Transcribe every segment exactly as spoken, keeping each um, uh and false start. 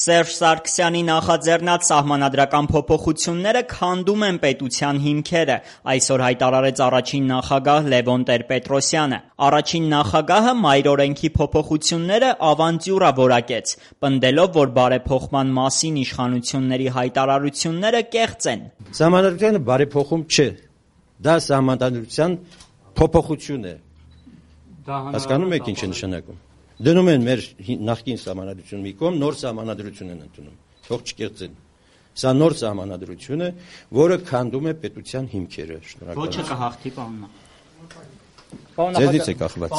Սերժ Սարգսյանի նախաձեռնած սահմանադրական փոփոխությունները քանդում են պետության հիմքերը, այսօր հայտարարեց առաջին նախագահ Լևոն Տեր-Պետրոսյանը։ Առաջին նախագահը մայրօրենքի փոփոխությունները ավանտյուրա որակեց, պնդելով, որ բարեփոխման մասին իշխանությունների հայտարարությունները կեղծ են։ Սահմանադրությունը բարեփոխում չէ, դա սահմանադրության փոփոխություն է։ Հասկանում եք ինչ է նշանակում։ Դնում են մեր նախկին սահմանադրությունը մի կողմ, նոր սահմանադրություն են ընդունում, թող չկեղծեն։ Սա նոր սահմանադրություն է, որը քանդում է պետության հիմքերը։ Ոչը կհաղթի, պարոն նախագահ։ Ձեզից է կախված։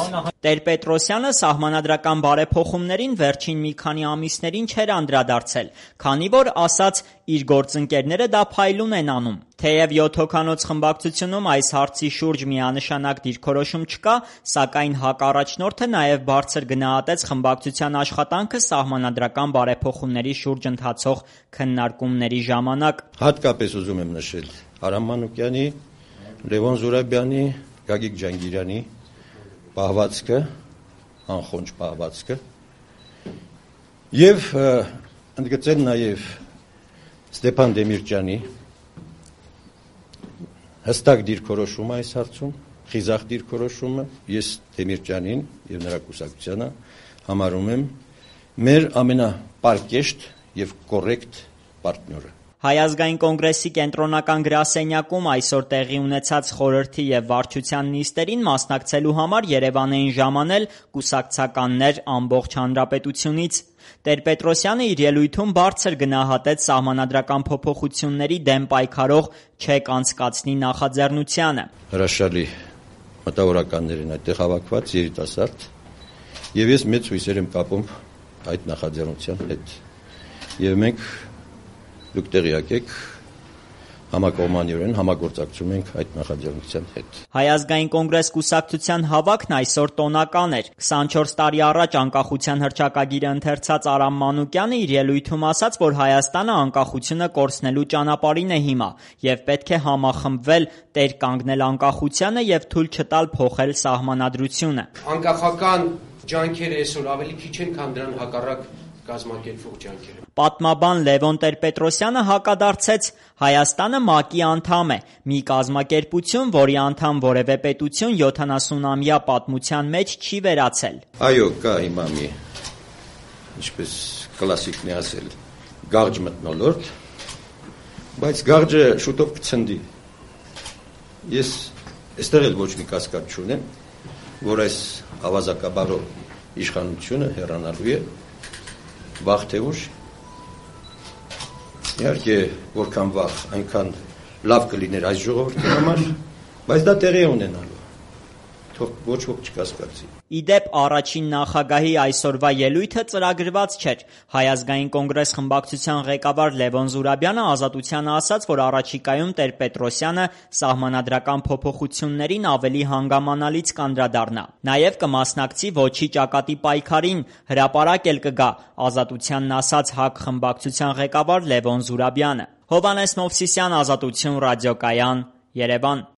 Տեր-Պետրոսյանը սահմանադրական բարեփոխումներին վերջին մի քանի ամիսներին չէր անդրադարձել, քանի որ ասաց իր գործընկերները դա փայլուն են անում։ Թեև յոթ հոգանոց խմբակցությունում այս հարցի շուրջ միանշանակ դիրքորոշում չկա, սակայն հակառաջնորդը նաև բարձր գնահատեց խմբակցության աշխատանքը սահմանադրական բարեփոխումների շուրջ ընթացող քննարկումների ժամանակ։ Հատկապես ուզում եմ նշել Արամ Մանուկյանի, Լևոն Զուրաբյանի, Գագիկ Ջանգիրյանի պահվածքը, անխոնջ պահվածքը եւ ընդգծել նաեւ Ստեփան Դեմիրճյանի հստակ դիրքորոշումը այս հարցում, խիզախ դիրքորոշումը, ես Դեմիրճյանին եւ նրա կուսակցությանը համարում եմ մեր ամենապարկեշտ եւ կոռեկտ պարտները։ Հայ ազգային կոնգրեսի կենտրոնական գրասենյակում այսօր տեղի ունեցած խորհրդի եւ վարչության նիստերին մասնակցելու համար Երևան էին ժամանել կուսակցականներ ամբողջ հանրապետությունից։ Տեր-Պետրոսյանը իր ելույթում բարձր գնահատեց սահմանադրական փոփոխությունների դեմ պայքարող չեք անցկացնի նախաձեռնությանը։ Հրաշալի մտավորականներ են այդտեղ հավաքված, երիտասարդ, եւ ես մեծ հույսեր եմ կապում այդ նախաձեռնության հետ։ Եվ մենք դուք տեղյակ եք, համակողմանիորեն համագործակցում ենք այդ նախաձեռնության հետ։ Հայ ազգային կոնգրես կուսակցության հավաքն այսօր տոնական էր։ քսանչորս տարի առաջ անկախության հռչակագիրը ընթերցած Արամ Մանուկյանը իր ելույթում ասաց, որ Հայաստանը անկախությունը կորցնելու ճանապարհին է հիմա եւ պետք է համախմբվել, տեր կանգնել անկախությանը եւ թույլ չտալ փոխել սահմանադրությունը։ Անկախական ջանքերը այսօր ավելի քիչ են, քան դրան հակառակ կազմակերպող ջանքերը։ Պատմաբան Լևոն Տեր-Պետրոսյանը հակադարձեց. Հայաստանը ՄԱԿ-ի անդամ է, մի կազմակերպություն, որի անդամ որևէ պետություն յոթանասունամյա պատմության մեջ չի վերացել։ Այո, կա հիմա մի, ինչպես կլասիկն է ասել, գաղջ մթնոլորտ, բայց գաղջը շուտով կցնդի։ Ես այստեղ էլ ոչ մի կասկած չունեմ, որ այս ավազակաբարով իշխանությունը հեռանալու է վաղ թե ուշ։ Իհարկե, որքան վաղ, այնքան լավ կլիներ այս ժողովրդի համար, բայց դա տեղի է ունենալու։ Թող ոչ ոք չկասկածի։ Իդեպ առաջին նախագահի այսօրվա ելույթը ծրագրված չէր։ Հայ ազգային կոնգրես խմբակցության ղեկավար Լևոն Զուրաբյանը Ազատությանը ասաց, որ առաջիկայում Տեր-Պետրոսյանը սահմանադրական փոփոխություններին ավելի հանգամանալից կանդրադառնա։ Նաև կմասնակցի ոչի ճակատի պայքարին, հրապարակ էլ կգա, Ազատությանն ասաց ՀԱԿ խմբակցության ղեկավար Լևոն Զուրաբյանը։ Հովհաննես Մովսիսյան, Ազատություն ռադիոկայան, Երևան։